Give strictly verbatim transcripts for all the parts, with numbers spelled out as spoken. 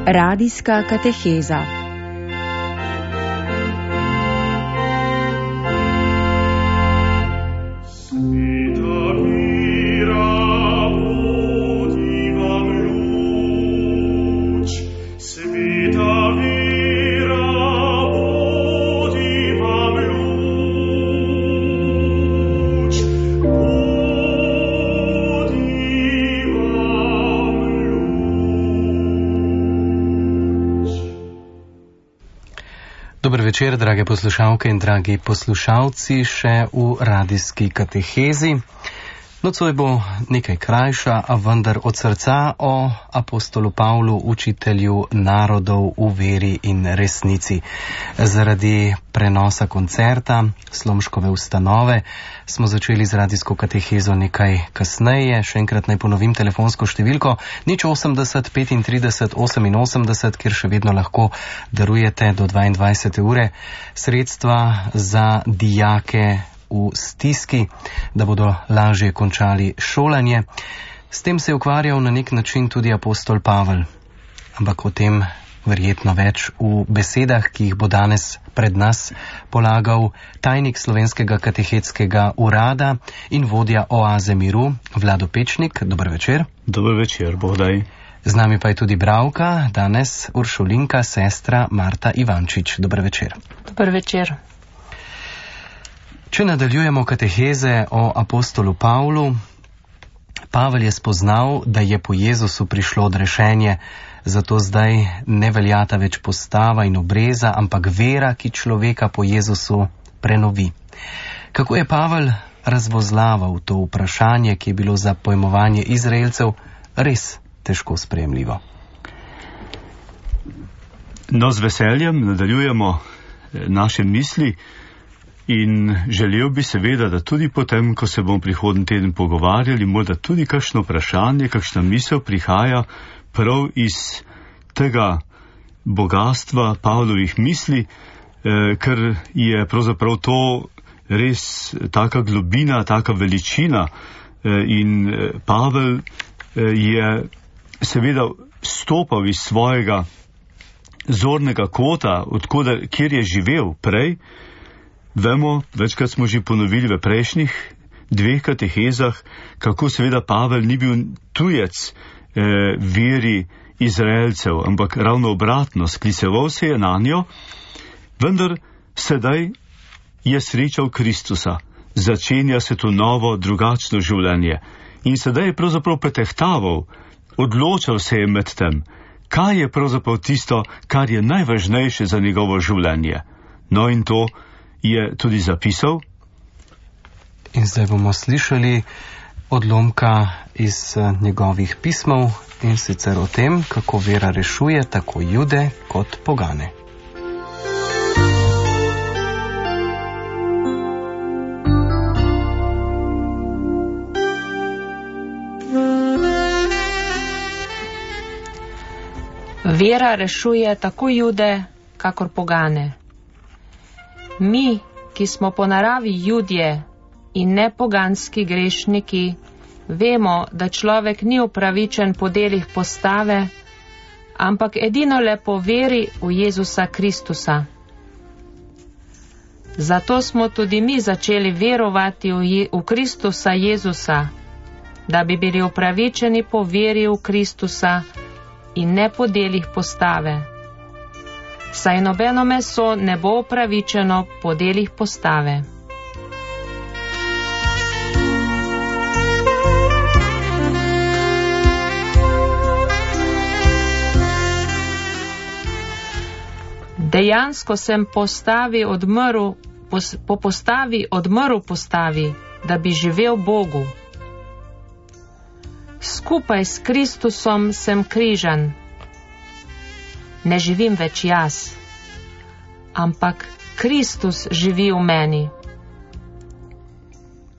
Radijska kateheza. Dober večer, drage poslušalke in dragi poslušalci, še v radijski katehezi. Nocoj bo nekaj krajša, a vendar od srca o apostolu Pavlu, učitelju narodov v veri in resnici. Zaradi prenosa koncerta Slomškove ustanove smo začeli z radijsko katehezo nekaj kasneje. Še enkrat naj ponovim telefonsko številko nič osemdeset petintrideset oseminosemdeset, kjer še vedno lahko darujete do dvaindvajsete ure sredstva za dijake v stiski, da bodo lažje končali šolanje. S tem se je ukvarjal na nek način tudi apostol Pavel, ampak o tem verjetno več v besedah, ki jih bo danes pred nas polagal tajnik Slovenskega katehetskega urada in vodja Oaze miru, Vlado Pečnik. Dober večer. Dober večer, bodaj. Z nami pa je tudi bralka, danes uršulinka, sestra Marta Ivančič. Dober večer. Dober večer. Če nadaljujemo kateheze o apostolu Pavlu, Pavel je spoznal, da je po Jezusu prišlo odrešenje, zato zdaj ne veljata več postava in obreza, ampak vera, ki človeka po Jezusu prenovi. Kako je Pavel razvozlaval to vprašanje, ki je bilo za pojmovanje Izraelcev res težko sprejemljivo? No, z veseljem nadaljujemo naše misli. In želel bi seveda, da tudi potem, ko se bomo prihodnji teden pogovarjali, morda tudi kakšno vprašanje, kakšna misel prihaja prav iz tega bogatstva Pavlovih misli, eh, ker je pravzaprav to res taka globina, taka veličina eh, in eh, Pavel eh, je seveda stopal iz svojega zornega kota, odkoder, kjer je živel prej. Vemo, večkrat smo že ponovili v prejšnjih dveh katehezah, kako seveda Pavel ni bil tujec eh, veri Izraelcev, ampak ravno obratno, skliceval se je na njo, vendar sedaj je srečal Kristusa, začenja se to novo, drugačno življenje in sedaj je pravzaprav pretehtaval, odločal se je med tem, kaj je pravzaprav tisto, kar je najvažnejše za njegovo življenje. No in to je tudi zapisal. In zdaj bomo slišali odlomka iz njegovih pismov in sicer o tem, kako vera rešuje tako Jude kot pogane. Vera rešuje tako Jude kakor pogane. Mi, ki smo po naravi Judje in ne poganski grešniki, vemo, da človek ni upravičen po delih postave, ampak edino le po veri v Jezusa Kristusa. Zato smo tudi mi začeli verovati v, Je- v Kristusa Jezusa, da bi bili upravičeni po veri v Kristusa in ne po delih postave. Saj nobeno meso ne bo upravičeno po delih postave. Dejansko sem postavi odmrl, pos, po postavi odmrl postavi, da bi živel Bogu. Skupaj s Kristusom sem križan. Ne živim več jaz, ampak Kristus živi v meni.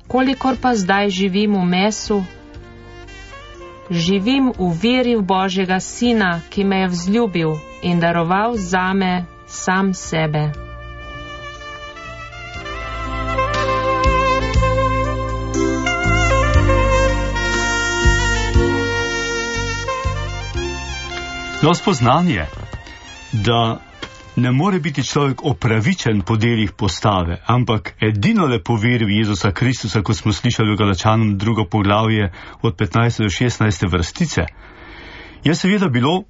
Kolikor pa zdaj živim v mesu, živim v veri v Božjega Sina, ki me je vzljubil in daroval zame sam sebe. No, spoznanje, da ne more biti človek opravičen po delih postave, ampak edino le po veri v Jezusa Kristusa, kot smo slišali v Galačanom drugo poglavje od petnajste do šestnajste vrstice, je seveda bilo,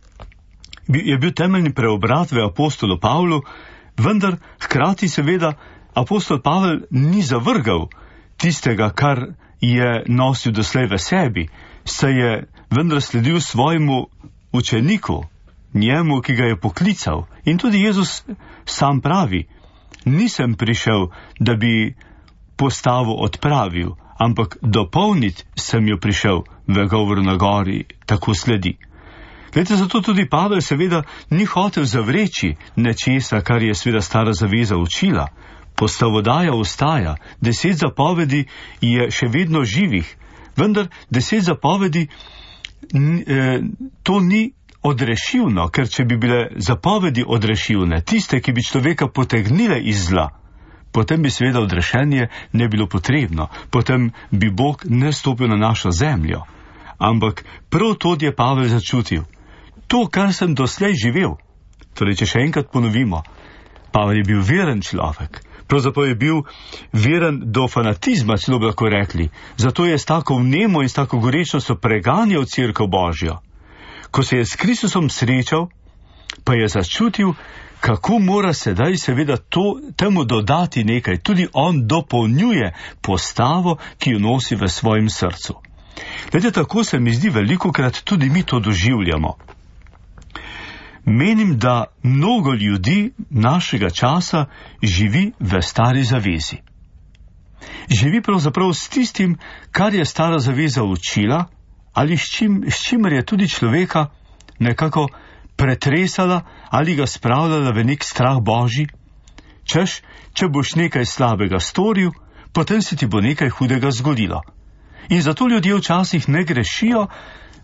je bil temeljni preobrat v apostolu Pavlu, vendar hkrati seveda apostol Pavel ni zavrgal tistega, kar je nosil doslej v sebi, saj je vendar sledil svojemu učeniku, njemu, ki ga je poklical. In tudi Jezus sam pravi, nisem prišel, da bi postavo odpravil, ampak dopolniti sem jo prišel, v govoru na gori tako sledi. Glede, zato tudi Pavel seveda ni hotel zavreči nečesa, kar je seveda stara zaveza učila. Postavodaja ostaja, deset zapovedi je še vedno živih, vendar deset zapovedi eh, to ni odrešivno, ker če bi bile zapovedi odrešivne, tiste, ki bi človeka potegnile iz zla, potem bi seveda odrešenje ne bilo potrebno, potem bi Bog ne stopil na našo zemljo. Ampak prav to je Pavel začutil. To, kar sem doslej živel, torej če še enkrat ponovimo, Pavel je bil veren človek, pravzaprav je bil veren do fanatizma, celo bi lahko rekli, zato je s tako vnemo in s tako gorečnostjo preganjal Cerkev Božjo. Ko se je s Kristusom srečal, pa je začutil, kako mora sedaj seveda to, temu dodati nekaj. Tudi on dopolnjuje postavo, ki jo nosi v svojem srcu. Glede, tako se mi zdi velikokrat tudi mi to doživljamo. Menim, da mnogo ljudi našega časa živi v stari zavezi. Živi pravzaprav s tistim, kar je stara zaveza učila, ali s, čim, s čimer je tudi človeka nekako pretresala ali ga spravljala v nek strah Božji, češ, če boš nekaj slabega storil, potem se ti bo nekaj hudega zgodilo. In zato ljudje včasih ne grešijo,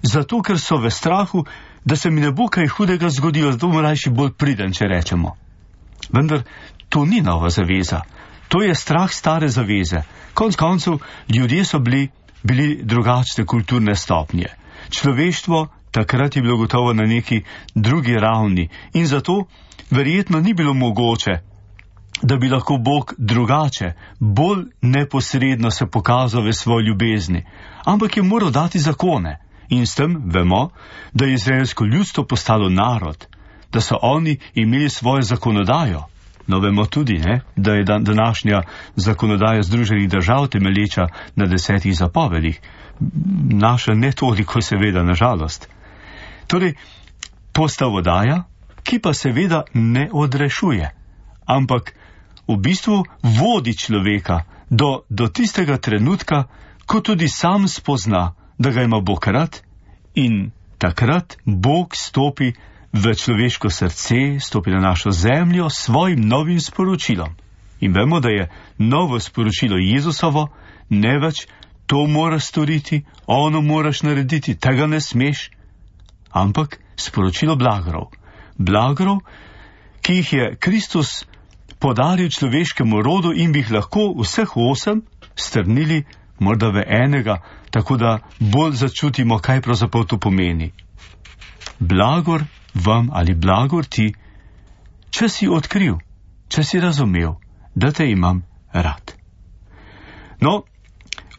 zato ker so v strahu, da se mi ne bo kaj hudega zgodilo, zato bomo rajši bolj priden, če rečemo. Vendar to ni nova zaveza, to je strah stare zaveze. Konec koncev, ljudje so bili bili drugačne kulturne stopnje. Človeštvo takrat je bilo gotovo na neki drugi ravni in zato verjetno ni bilo mogoče, da bi lahko Bog drugače, bolj neposredno se pokazal v svoji ljubezni, ampak je moral dati zakone in s tem vemo, da je izraelsko ljudstvo postalo narod, da so oni imeli svojo zakonodajo. No, vemo tudi, ne, da je dan, današnja zakonodaja Združenih držav temelječa na desetih zapovedih. Naša ne toliko, seveda, nažalost. Torej, postavodaja, ki pa seveda ne odrešuje, ampak v bistvu vodi človeka do, do tistega trenutka, ko tudi sam spozna, da ga ima Bog rad in takrat Bog stopi v človeško srce, stopi na našo zemljo s svojim novim sporočilom. In vemo, da je novo sporočilo Jezusovo, ne več to moraš storiti, ono moraš narediti, tega ne smeš, ampak sporočilo blagorov. Blagorov, ki jih je Kristus podaril človeškemu rodu in bi jih lahko vseh osem strnili morda v enega, tako da bolj začutimo, kaj pravzaprav to pomeni. Blagor vam ali blagor ti, če si odkril, če si razumel, da te imam rad. No,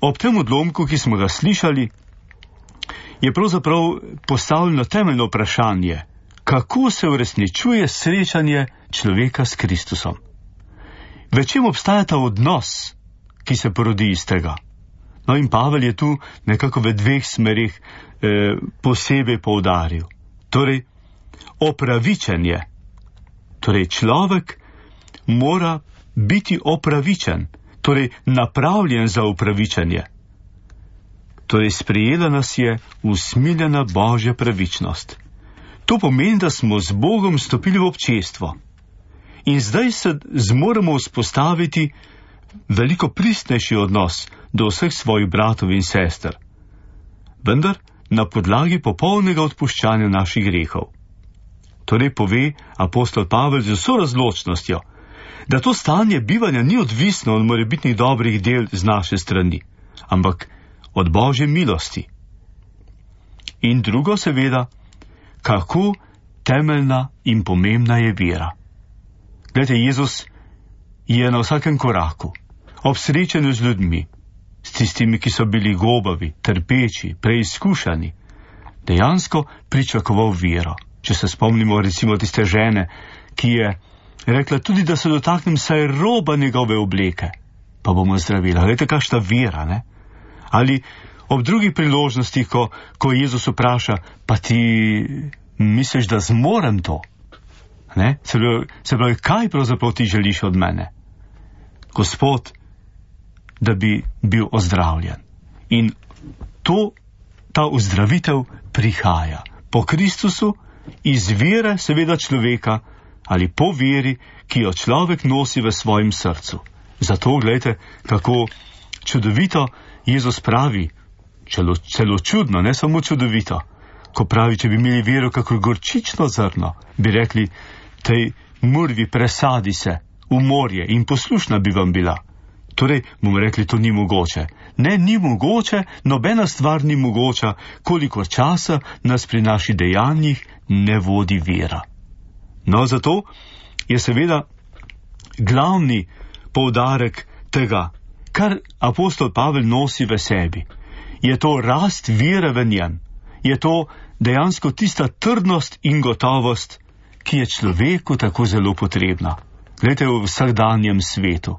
ob tem odlomku, ki smo ga slišali, je pravzaprav postavljeno temeljno vprašanje, kako se uresničuje srečanje človeka s Kristusom. V čem obstaja ta odnos, ki se porodi iz tega? No, in Pavel je tu nekako v dveh smerih eh, posebej poudaril. Torej, opravičenje. Torej, človek mora biti opravičen, torej napravljen za opravičenje. Torej, sprejela nas je usmiljena Božja pravičnost. To pomeni, da smo z Bogom stopili v občestvo. In zdaj se zmoremo vzpostaviti veliko pristnejši odnos do vseh svojih bratov in sester. Vendar na podlagi popolnega odpuščanja naših grehov. Torej pove apostol Pavel z vso razločnostjo, da to stanje bivanja ni odvisno od morebitnih dobrih del z naše strani, ampak od Božje milosti. In drugo seveda, kako temeljna in pomembna je vera. Glede, Jezus je na vsakem koraku, ob srečanju z ljudmi, s tistimi, ki so bili gobavi, trpeči, preizkušani, dejansko pričakoval vero. Če se spomnimo recimo tiste žene, ki je rekla tudi, da se dotaknem saj roba njegove obleke, pa bomo zdravila. Glejte, kakšna vera, ne? Ali ob drugih priložnostih, ko, ko Jezus vpraša, pa ti misliš, da zmorem to? Ne? Se pravi, se pravi, kaj pravzaprav ti želiš od mene? Gospod, da bi bil ozdravljen. In to, ta ozdravitev prihaja po Kristusu, iz vere seveda človeka ali po veri, ki jo človek nosi v svojem srcu. Zato gledajte, kako čudovito Jezus pravi, celo, celo čudno, ne samo čudovito, ko pravi, če bi imeli vero kako gorčično zrno, bi rekli, tej murvi presadi se v morje in poslušna bi vam bila. Torej, bomo rekli, to ni mogoče. Ne, ni mogoče, nobena stvar ni mogoča, koliko časa nas pri naših dejanjih ne vodi vera. No, zato je seveda glavni poudarek tega, kar apostol Pavel nosi v sebi. Je to rast vere v njem. Je to dejansko tista trdnost in gotovost, ki je človeku tako zelo potrebna. Glejte, v vsakdanjem svetu.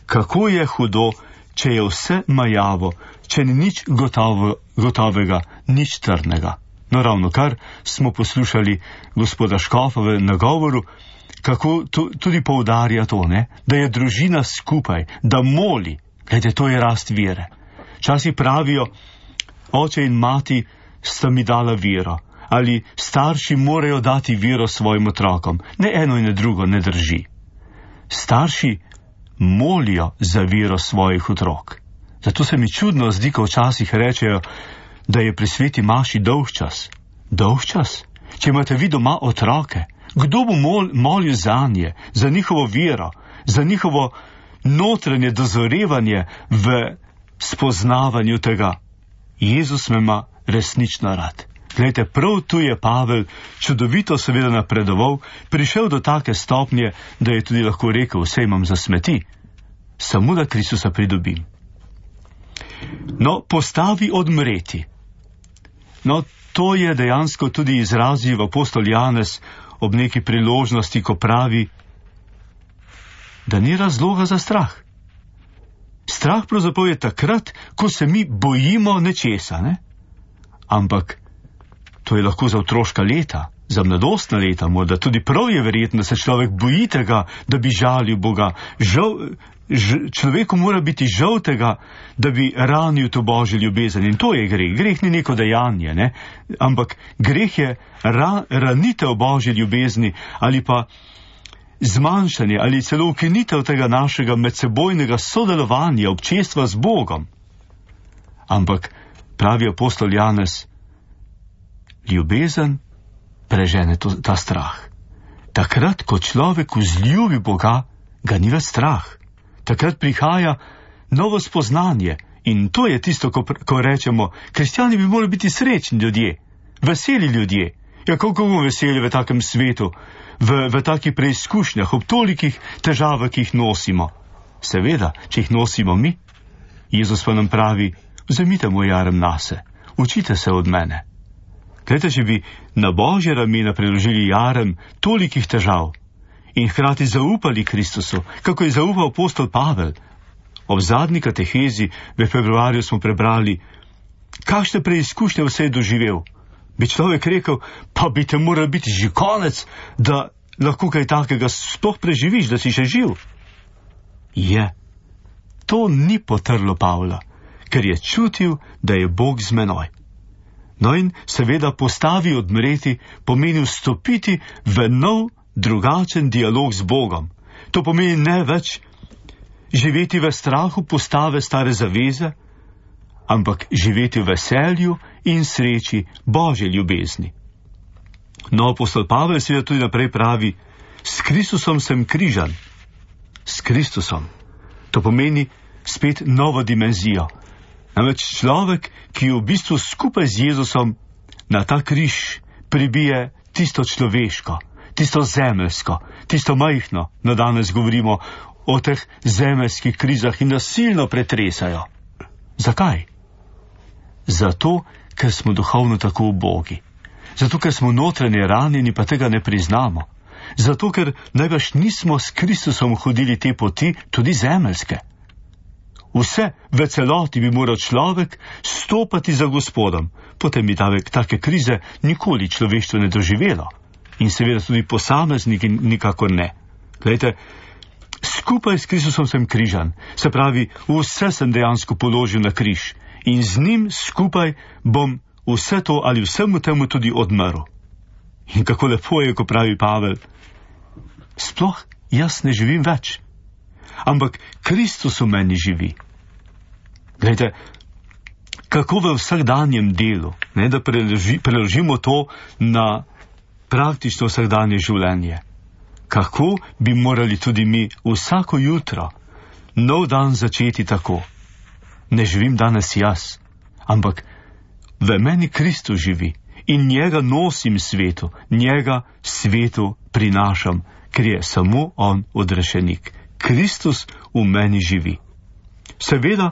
Kako je hudo, če je vse majavo, če ni nič gotovo, gotovega, nič trdnega. No, ravno kar smo poslušali gospoda Škofa v nagovoru, kako to, tudi poudarja to, ne? Da je družina skupaj, da moli. Glede, to je rast vere. Časi pravijo, oče in mati sta mi dala vero, ali starši morajo dati vero svojim otrokom. Ne eno in ne drugo ne drži. Starši molijo za vero svojih otrok. Zato se mi čudno zdi, ko včasih rečejo, da je pri sveti maši dolgčas. Dolgčas? Če imate vi doma otroke, kdo bo mol, molil za nje, za njihovo vero, za njihovo notranje dozorevanje v spoznavanju tega? Jezus me ima resnično rad. Glejte, prav tu je Pavel čudovito seveda napredoval, prišel do take stopnje, da je tudi lahko rekel, vse imam za smeti, samo da Kristusa pridobim. No, postavi odmreti. No, to je dejansko tudi izrazil apostol Janez ob neki priložnosti, ko pravi, da ni razloga za strah. Strah pravzaprav je takrat, ko se mi bojimo nečesa, ne? Ampak to je lahko za otroška leta, za mladostna leta, morda tudi prav je verjetno, da se človek boji tega, da bi žalil Boga. Žal, ž, človeku mora biti žal tega, da bi ranil to Božjo ljubezen. In to je greh. Greh ni neko dejanje, ne? Ampak greh je ra, ranitev Božje ljubezni ali pa zmanjšanje ali celo ukinitev tega našega medsebojnega sodelovanja, občestva z Bogom. Ampak pravi apostol Janez, ljubezen prežene to, ta strah. Takrat, ko človek vzljubi Boga, ga ni več strah. Takrat prihaja novo spoznanje in to je tisto, ko, ko rečemo, kristjani bi morali biti srečni ljudje, veseli ljudje. Ja, koliko bomo veseli v takem svetu, v, v takih preizkušnjah, ob tolikih težavah, ki jih nosimo. Seveda, če jih nosimo mi, Jezus pa nam pravi, vzemite moj jarem nase, učite se od mene. Glejte, če bi na Božje ramena preložili jarem tolikih težav in hkrati zaupali Kristusu, kako je zaupal apostol Pavel. Ob zadnji katehezi v februarju smo prebrali, kakšne preizkušnje vse je doživel. Bi človek rekel, pa bi te moral biti že konec, da lahko kaj takega sploh preživiš, da si še živ. Je. To ni potrlo Pavla, ker je čutil, da je Bog z menoj. No in seveda postavi odmreti pomeni vstopiti v nov, drugačen dialog z Bogom. To pomeni ne več živeti v strahu postave stare zaveze, ampak živeti v veselju in sreči Božje ljubezni. No, apostol Pavel seveda tudi naprej pravi, s Kristusom sem križan. S Kristusom. To pomeni spet novo dimenzijo. Namreč človek, ki v bistvu skupaj z Jezusom na ta križ pribije tisto človeško, tisto zemeljsko, tisto majhno. No, danes govorimo o teh zemeljskih krizah in nas silno pretresajo. Zakaj? Zato, ker smo duhovno tako ubogi. Zato, ker smo notranje ranjeni, pa tega ne priznamo. Zato, ker najbrž nismo s Kristusom hodili te poti, tudi zemeljske. Vse v celoti bi moral človek stopati za Gospodom, potem bi davek take krize nikoli človeštvo ne doživelo. In seveda tudi posamezniki nikakor ne. Glejte, skupaj s Kristusom sem križan, se pravi, vse sem dejansko položil na križ in z njim skupaj bom vse to ali vsemu temu tudi odmrl. In kako lepo je, ko pravi Pavel, sploh jaz ne živim več, ampak Kristus v meni živi. Glejte, kako v vsakdanjem delu, ne, da preloži, preložimo to na praktično vsakdanje življenje. Kako bi morali tudi mi vsako jutro, nov dan začeti tako. Ne živim danes jaz, ampak v meni Kristus živi in njega nosim svetu, njega svetu prinašam, ker je samo on odrešenik. Kristus v meni živi. Seveda,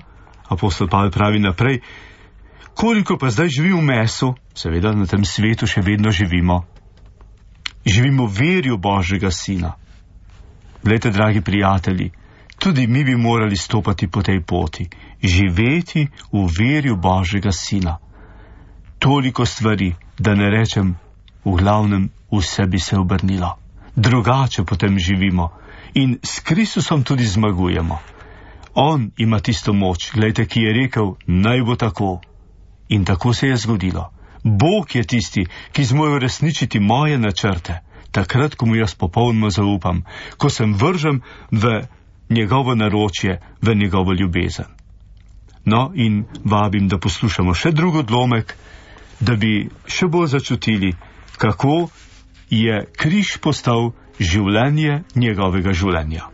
apostol Pavel pravi naprej, koliko pa zdaj živi v mesu, seveda na tem svetu še vedno živimo. Živimo v verju Božjega Sina. Glejte, dragi prijatelji, tudi mi bi morali stopati po tej poti, živeti v verju Božjega Sina. Toliko stvari, da ne rečem, v glavnem vse bi se obrnilo. Drugače potem živimo in s Kristusom tudi zmagujemo. On ima tisto moč, glejte, ki je rekel, naj bo tako. In tako se je zgodilo. Bog je tisti, ki zmore uresničiti moje načrte, takrat, ko mu jaz popolnoma zaupam, ko sem vržem v njegovo naročje, v njegovo ljubezen. No, in vabim, da poslušamo še drug odlomek, da bi še bolj začutili, kako je križ postal življenje njegovega življenja.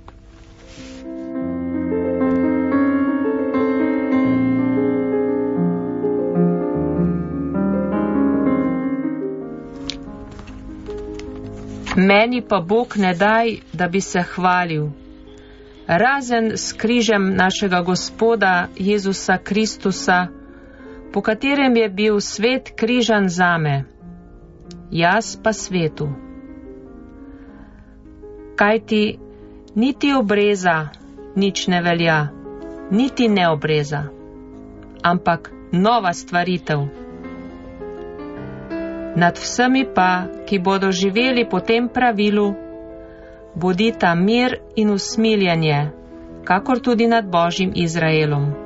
Meni pa Bog ne daj, da bi se hvalil, razen s križem našega Gospoda Jezusa Kristusa, po katerem je bil svet križan zame, jaz pa svetu. Kajti niti obreza nič ne velja, niti neobreza, ampak nova stvaritev. Nad vsemi pa, ki bodo živeli po tem pravilu, bodita mir in usmiljenje, kakor tudi nad Božjim Izraelom.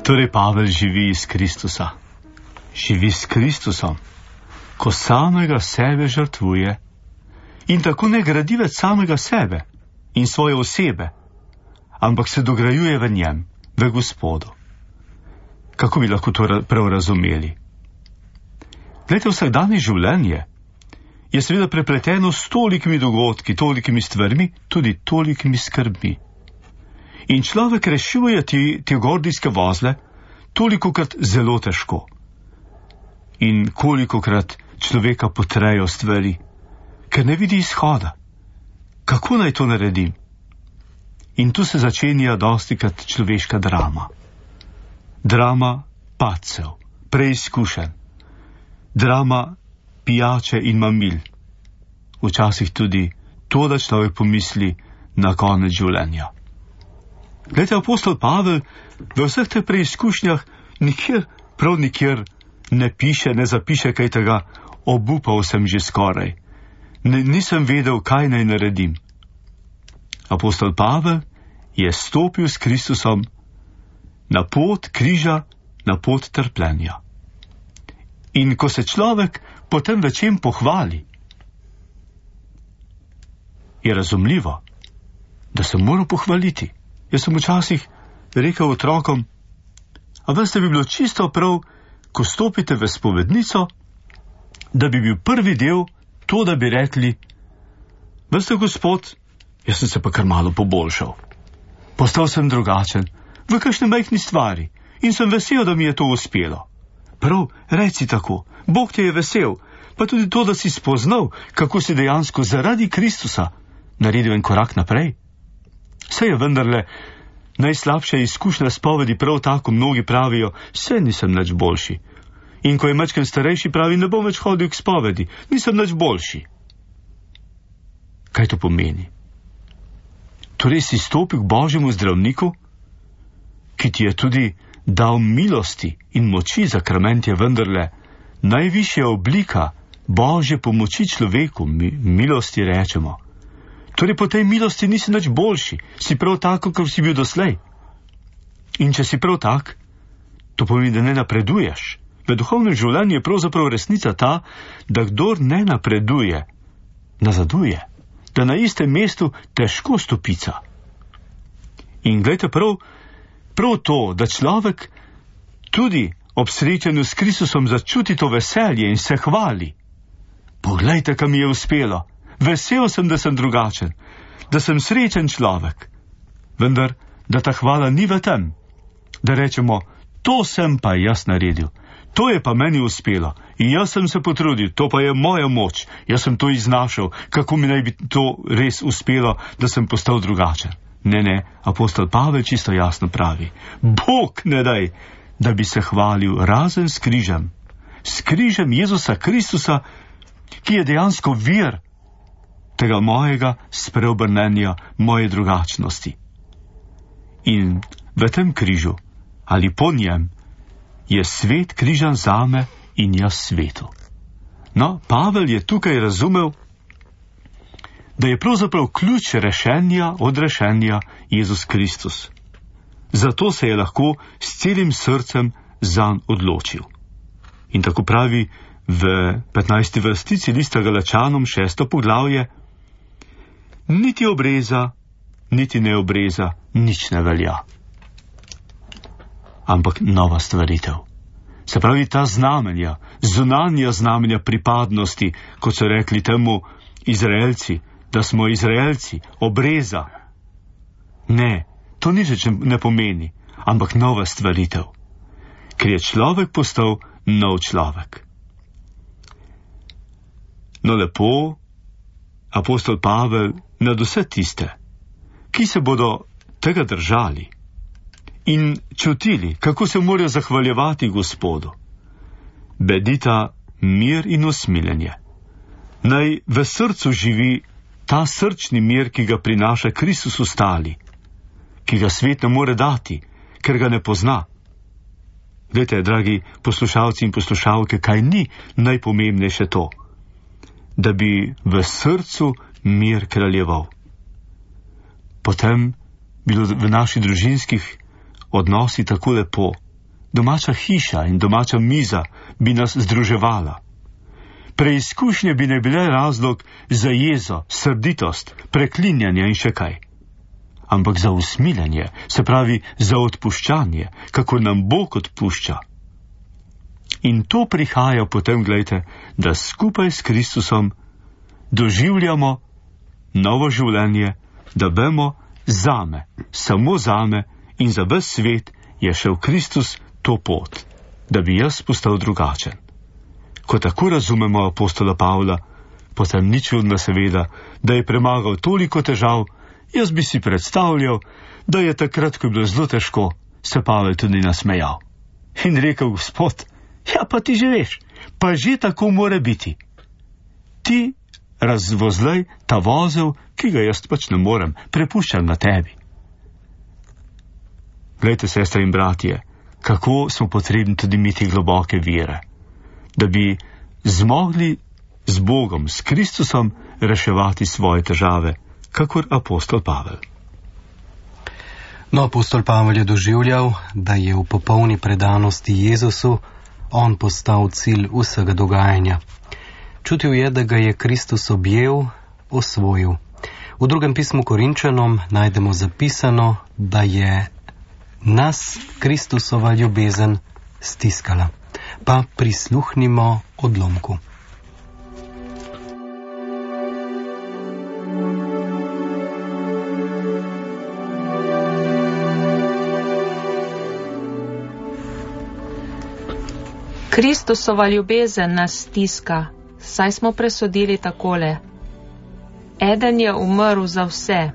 Torej Pavel živi iz Kristusa. Živi s Kristusom, ko samega sebe žrtvuje in tako ne gradi več samega sebe in svoje osebe, ampak se dograjuje v njem, v Gospodu. Kako bi lahko to prav razumeli? Glejte, vsakdanje življenje je seveda prepleteno s tolikimi dogodki, tolikimi stvarmi, tudi tolikimi skrbmi. In človek rešuje te, te gordijske vozle tolikokrat zelo težko. In kolikokrat človeka potrejo stvari, ker ne vidi izhoda. Kako naj to naredim? In tu se začenja dostikrat človeška drama. Drama padcev, preizkušenj. Drama pijače in mamil. Včasih tudi to, da človek pomisli na konec življenja. Glejte, apostol Pavel v vseh teh preizkušnjah nikjer, prav nikjer ne piše, ne zapiše kaj tega, obupal sem že skoraj. Ne, nisem vedel, kaj naj naredim. Apostol Pavel je stopil s Kristusom na pot križa, na pot trpljenja. In ko se človek potem v čem pohvali, je razumljivo, da se mora pohvaliti. Jaz sem včasih rekel otrokom, a veste, bi bilo čisto prav, ko stopite v spovednico, da bi bil prvi del to, da bi rekli, veste, Gospod, jaz sem se pa kar malo poboljšal. Postal sem drugačen, v kakšni majhni stvari, in sem vesel, da mi je to uspelo. Prav, reci tako, Bog te je vesel, pa tudi to, da si spoznal, kako si dejansko zaradi Kristusa naredil en korak naprej. Saj je vendarle najslabša izkušnja spovedi prav tako, mnogi pravijo, saj nisem nič boljši. In ko je majčken starejši, pravi, ne bom več hodil k spovedi, nisem nič boljši. Kaj to pomeni? Torej si stopil k Božjemu zdravniku, ki ti je tudi dal milosti in moči, sakrament je vendarle najvišja oblika Božje pomoči človeku, mi, milosti rečemo. Torej po tej milosti nisi nič boljši, si prav tako, kot si bil doslej. In če si prav tak, to pomeni, da ne napreduješ. V duhovnem življenju je pravzaprav resnica ta, da kdor ne napreduje, nazaduje, da na istem mestu težko stopica. In gledajte, prav, prav to, da človek tudi ob srečanju s Kristusom začuti to veselje in se hvali. Poglejte, kam mi je uspelo. Vesel sem, da sem drugačen, da sem srečen človek. Vendar, da ta hvala ni v tem, da rečemo, to sem pa jaz naredil, to je pa meni uspelo in jaz sem se potrudil, to pa je moja moč, jaz sem to iznašal, kako mi naj bi to res uspelo, da sem postal drugačen. Ne, ne, apostol Pavel čisto jasno pravi, Bog ne daj, da bi se hvalil razen s križem, s križem Jezusa Kristusa, ki je dejansko vir tega mojega spreobrnenja, moje drugačnosti. In v tem križu, ali po njem, je svet križan zame in jaz svetu. No, Pavel je tukaj razumel, da je pravzaprav ključ rešenja, odrešenja Jezus Kristus. Zato se je lahko s celim srcem zanj odločil. In tako pravi v petnajsti vrstici lista Galačanom šesto poglavje, niti obreza, niti neobreza, nič ne velja. Ampak nova stvaritev. Se pravi ta znamenja, zunanja znamenja pripadnosti, kot so rekli temu Izraelci, da smo Izraelci, obreza. Ne, to nič ne pomeni, ampak nova stvaritev. Ker je človek postal nov človek. No lepo, apostol Pavel nad vse tiste, ki se bodo tega držali in čutili, kako se morajo zahvaljevati Gospodu, bedita mir in usmiljenje. Naj v srcu živi ta srčni mir, ki ga prinaša Kristus ostali, ki ga svet ne more dati, ker ga ne pozna. Glejte, dragi poslušalci in poslušalke, kaj ni najpomembnejše to, da bi v srcu mir kraljeval. Potem bilo v naših družinskih odnosih tako lepo. Domača hiša in domača miza bi nas združevala. Preizkušnje bi ne bile razlog za jezo, srditost, preklinjanje in še kaj. Ampak za usmiljenje, se pravi za odpuščanje, kako nam Bog odpušča. In to prihaja potem, gledajte, da skupaj s Kristusom doživljamo novo življenje, da vemo zame, samo zame in za ves svet je šel Kristus to pot, da bi jaz postal drugačen. Ko tako razumemo apostola Pavla, potem ni čudno seveda, da je premagal toliko težav. Jaz bi si predstavljal, da je takrat, ko je bilo zelo težko, se Pavel tudi nasmejal. In rekel, Gospod, ja pa ti že veš, pa že tako mora biti. Ti razvozlej ta vozel, ki ga jaz pač ne morem, prepuščam na tebi. Glejte, sestre in bratje, kako smo potrebni tudi imeti globoke vere, da bi zmogli z Bogom, s Kristusom reševati svoje težave, kakor apostol Pavel. No, apostol Pavel je doživljal, da je v popolni predanosti Jezusu on postal cilj vsega dogajanja. Čutil je, da ga je Kristus objel, osvojil. V drugem pismu Korinčanom najdemo zapisano, da je nas Kristusova ljubezen stiskala. Pa prisluhnimo odlomku. Kristusova ljubezen nas stiska, saj smo presodili takole. Eden je umrl za vse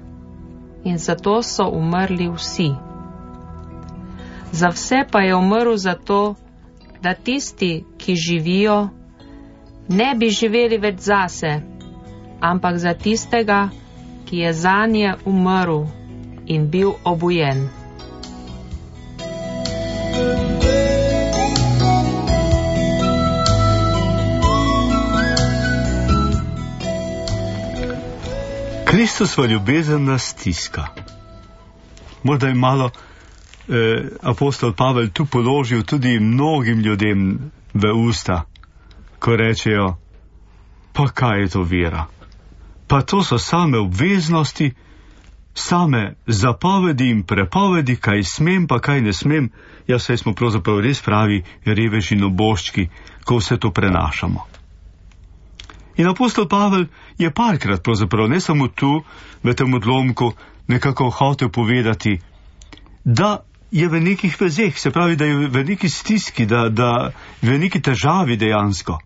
in zato so umrli vsi. Za vse pa je umrl zato, da tisti, ki živijo, ne bi živeli več zase, ampak za tistega, ki je zanje umrl in bil obujen. Kristusova ljubezen nas stiska. Morda je malo eh, apostol Pavel tu položil tudi mnogim ljudem v usta, ko rečejo, pa kaj je to vera? Pa to so same obveznosti, same zapovedi in prepovedi, kaj smem, pa kaj ne smem. Ja, saj smo pravzaprav res pravi reveži in oboščki, ko vse to prenašamo. In apostol Pavel je parkrat pravzaprav, ne samo tu, v tem odlomku, nekako hotel povedati, da je v nekih vezeh, se pravi, da je v neki stiski, da, da v neki težavi dejansko.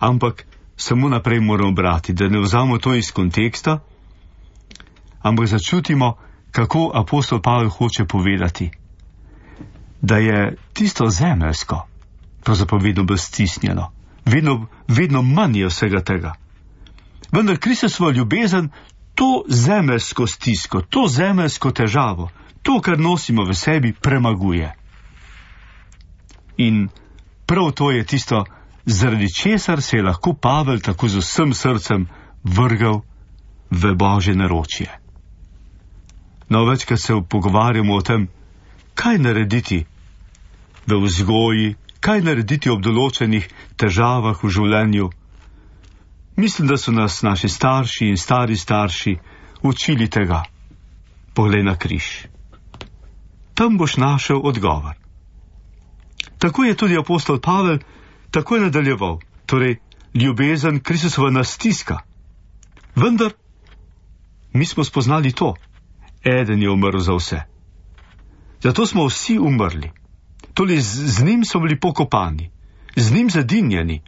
Ampak samo naprej moramo brati, da ne vzamo to iz konteksta, ampak začutimo, kako apostol Pavel hoče povedati, da je tisto zemeljsko, pravzaprav vedno bolj stisnjeno, vedno, vedno manj je vsega tega. Vendar Kristusova ljubezen to zemeljsko stisko, to zemeljsko težavo, to, kar nosimo v sebi, premaguje. In prav to je tisto, zaradi česar se je lahko Pavel tako z vsem srcem vrgal v Božje naročje. No, večkrat se pogovarjamo o tem, kaj narediti v vzgoji, kaj narediti ob določenih težavah v življenju. Mislim, da so nas naši starši in stari starši učili tega. Poglej na križ. Tam boš našel odgovor. Tako je tudi apostol Pavel tako je nadaljeval, torej ljubezen Kristusova nas stiska. Vendar mi smo spoznali to. Eden je umrl za vse. Zato smo vsi umrli. Torej z, z njim smo bili pokopani, z njim zadinjeni.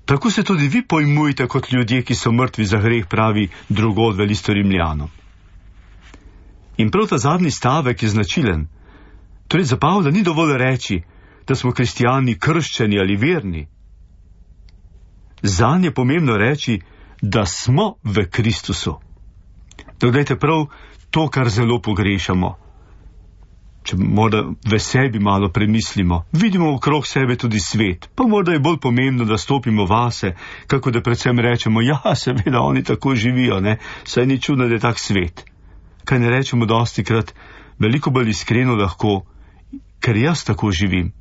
Tako se tudi vi pojmujete kot ljudje, ki so mrtvi za greh, pravi drugod v listu Rimljanom. In prav ta zadnji stavek je značilen. Torej za Pavla ni dovolj reči, da smo kristijani krščeni ali verni. Zanj je pomembno reči, da smo v Kristusu. Dodajte prav to, kar zelo pogrešamo. Če morda v sebi malo premislimo, vidimo okrog sebe tudi svet, pa morda je bolj pomembno, da stopimo vase, kako da predvsem rečemo, ja, seveda, oni tako živijo, ne, saj ni čudno, da je tak svet. Kaj ne rečemo dosti krat, veliko bolj iskreno lahko, ker jaz tako živim,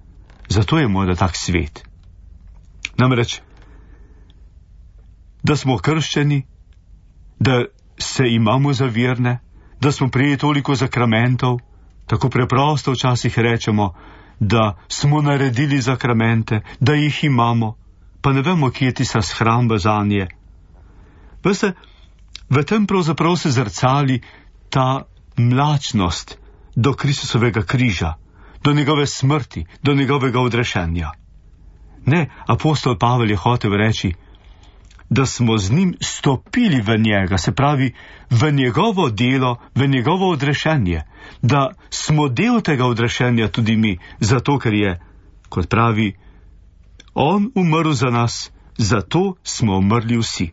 zato je morda tak svet. Namreč, da smo krščeni, da se imamo za verne, da smo prijeli toliko zakramentov, tako preprosto včasih rečemo, da smo naredili zakramente, da jih imamo, pa ne vemo, kje je tista shramba zanje. Veste, v tem pravzaprav se zrcali ta mlačnost do Kristusovega križa, do njegove smrti, do njegovega odrešenja. Ne, apostol Pavel je hotel reči, da smo z njim stopili v njega, se pravi v njegovo delo, v njegovo odrešenje, da smo del tega odrešenja tudi mi, zato ker je, kot pravi, on umrl za nas, zato smo umrli vsi.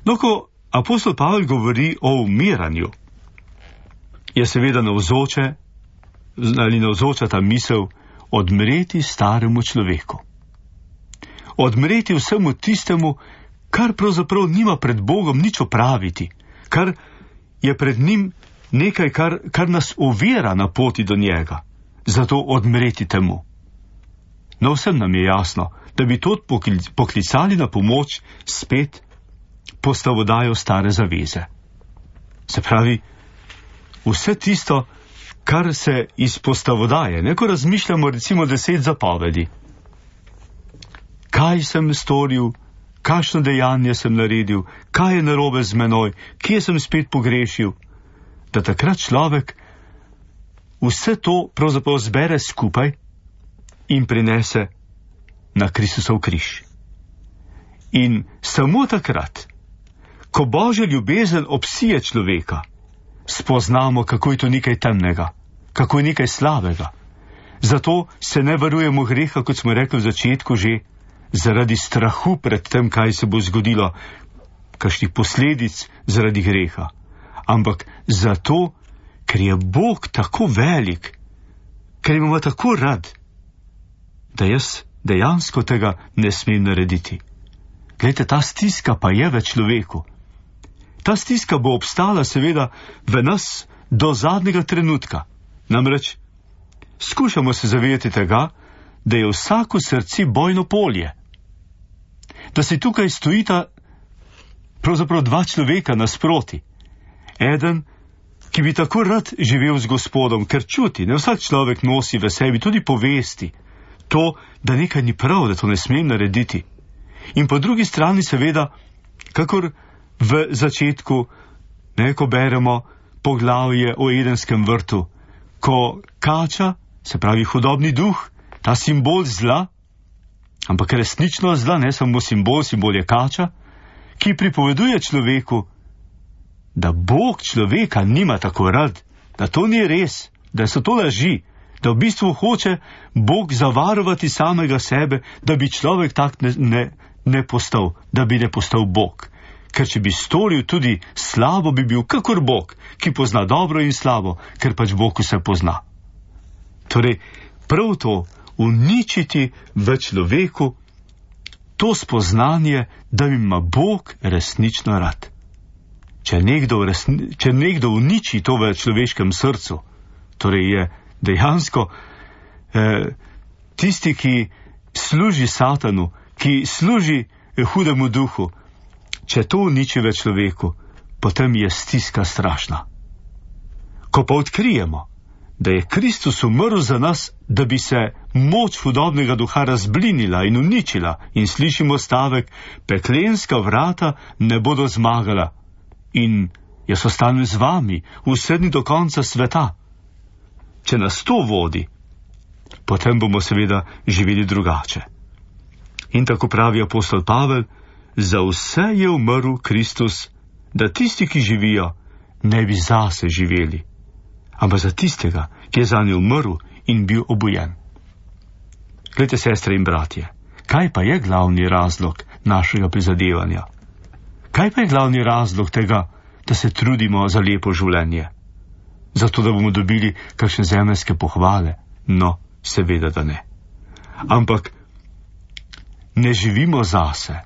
No, ko apostol Pavel govori o umiranju, je seveda navzoče, ali navzoča ta misel, odmreti staremu človeku. Odmreti vsemu tistemu, kar pravzaprav nima pred Bogom nič opraviti, kar je pred njim nekaj, kar, kar nas ovira na poti do njega, zato odmreti temu. No, vsem nam je jasno, da bi to poklicali na pomoč spet postavodajo stare zaveze. Se pravi, vse tisto, kar se iz postavodaje, neko razmišljamo recimo deset zapovedi. Kaj sem storil, kakšno dejanje sem naredil, kaj je narobe z menoj, kje sem spet pogrešil, da takrat človek vse to pravzaprav zbere skupaj in prinese na Kristusov križ. In samo takrat, ko Božja ljubezen obsije človeka, spoznamo, kako je to nekaj temnega, kako je nekaj slabega. Zato se ne varujemo greha, kot smo rekli v začetku že, zaradi strahu pred tem, kaj se bo zgodilo, kakšnih posledic zaradi greha. Ampak zato, ker je Bog tako velik, ker imamo tako rad, da jaz dejansko tega ne smem narediti. Glejte, ta stiska pa je v človeku. Ta stiska bo obstala seveda v nas do zadnjega trenutka. Namreč skušamo se zavedati tega, da je vsako srce bojno polje. Da se tukaj stojita pravzaprav dva človeka nasproti. Eden, ki bi tako rad živel z Gospodom, ker čuti, ne vsak človek nosi v sebi tudi povesti, to, da nekaj ni prav, da to ne smem narediti. In po drugi strani seveda, kakor v začetku, ne, ko beremo poglavje o Edenskem vrtu, ko kača, se pravi hudobni duh, ta simbol zla, ampak resnično zla, ne samo simbol, simbol je kača, ki pripoveduje človeku, da Bog človeka nima tako rad, da to ni res, da so to laži, da v bistvu hoče Bog zavarovati samega sebe, da bi človek tak ne, ne, ne postal, da bi ne postal Bog. Ker če bi storil tudi slabo, bi bil kakor Bog, ki pozna dobro in slabo, ker pač Bog vse pozna. Torej, prav to, uničiti v človeku to spoznanje, da ima Bog resnično rad. Če nekdo, resni, če nekdo uniči to v človeškem srcu, torej je dejansko eh, tisti, ki služi Satanu, ki služi eh, hudemu duhu, če to uniči v človeku, potem je stiska strašna. Ko pa odkrijemo, da je Kristus umrl za nas, da bi se moč hudobnega duha razblinila in uničila, in slišimo stavek, peklenska vrata ne bodo zmagala in jaz ostanem z vami vse dni do konca sveta. Če nas to vodi, potem bomo seveda živeli drugače. In tako pravi apostol Pavel, za vse je umrl Kristus, da tisti, ki živijo, ne bi zase živeli, ampak za tistega, ki je zanje umrl in bil obojen. Glejte, sestre in bratje, kaj pa je glavni razlog našega prizadevanja? Kaj pa je glavni razlog tega, da se trudimo za lepo življenje? Zato, da bomo dobili kakšne zemeljske pohvale? No, seveda, da ne. Ampak ne živimo zase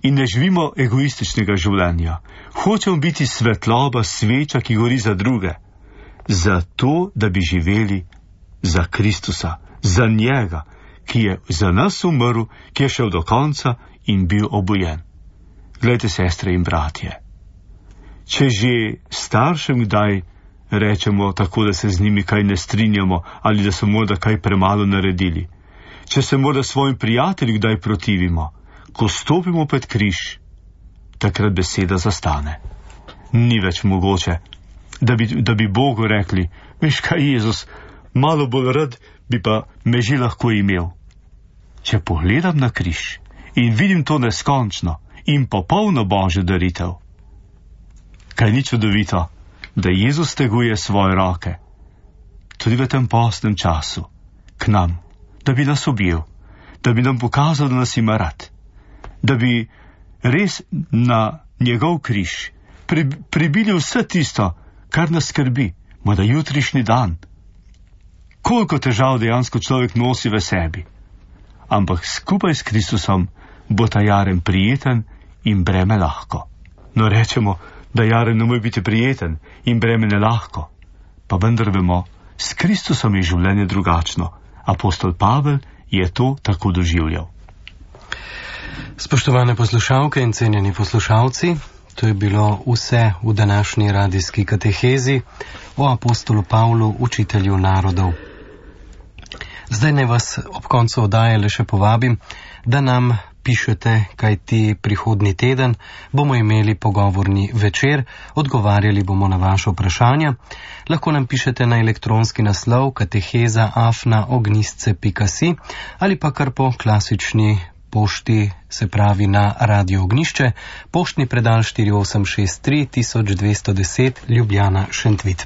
in ne živimo egoističnega življenja. Hočemo biti svetloba, sveča, ki gori za druge. Zato, da bi živeli za Kristusa, za njega, ki je za nas umrl, ki je šel do konca in bil obojen. Glejte, sestre in bratje, če že staršem kdaj rečemo tako, da se z njimi kaj ne strinjamo ali da so morda kaj premalo naredili, če se morda svojim prijateljem kdaj protivimo, ko stopimo pred križ, takrat beseda zastane. Ni več mogoče, da bi, da bi Bogu rekli, veš kaj, Jezus, malo bolj rad bi pa me že lahko imel. Če pogledam na križ in vidim to neskončno in popolno Božjo daritev, kaj ni čudovito, da Jezus teguje svoje roke, tudi v tem postnem času, k nam, da bi nas objel, da bi nam pokazal, da nas ima rad, da bi res na njegov križ pri, pribili vse tisto, kar nas skrbi, morda jutrišnji dan. Koliko težav dejansko človek nosi v sebi, ampak skupaj s Kristusom bo ta jaren prijeten in breme lahko. No, rečemo, da jaren ne more biti prijeten in breme ne lahko, pa vendar vemo, s Kristusom je življenje drugačno. Apostol Pavel je to tako doživljal. Spoštovane poslušalke in cenjeni poslušalci, to je bilo vse v današnji radijski katehezi o apostolu Pavlu, učitelju narodov. Zdaj ne vas ob koncu oddaje le še povabim, da nam pišete, kajti prihodnji teden bomo imeli pogovorni večer, odgovarjali bomo na vaše vprašanja. Lahko nam pišete na elektronski naslov kateheza afna ognistce pika si ali pa kar po klasični pošti, se pravi na Radio Ognišče, poštni predal štiri osem šest tri tisoč dvesto deset Ljubljana Šentvid.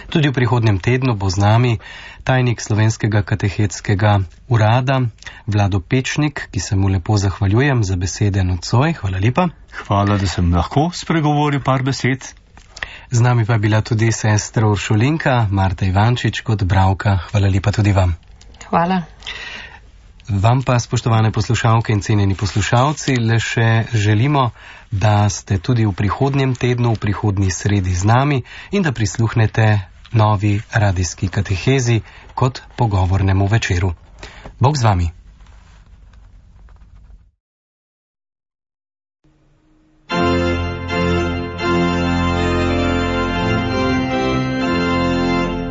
Tudi v prihodnjem tednu bo z nami tajnik Slovenskega katehetskega urada Vlado Pečnik, ki se mu lepo zahvaljujem za besede nocoj. Hvala lepa. Hvala, da sem lahko spregovoril par besed. Z nami pa je bila tudi sestra Uršulinka Marta Ivančič kot bralka. Hvala lepa tudi vam. Hvala. Vam pa, spoštovane poslušalke in cenjeni poslušalci, le še želimo, da ste tudi v prihodnjem tednu, v prihodnji sredi z nami in da prisluhnete novi radijski katehezi kot pogovornemu večeru. Bog z vami.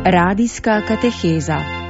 Radijska kateheza.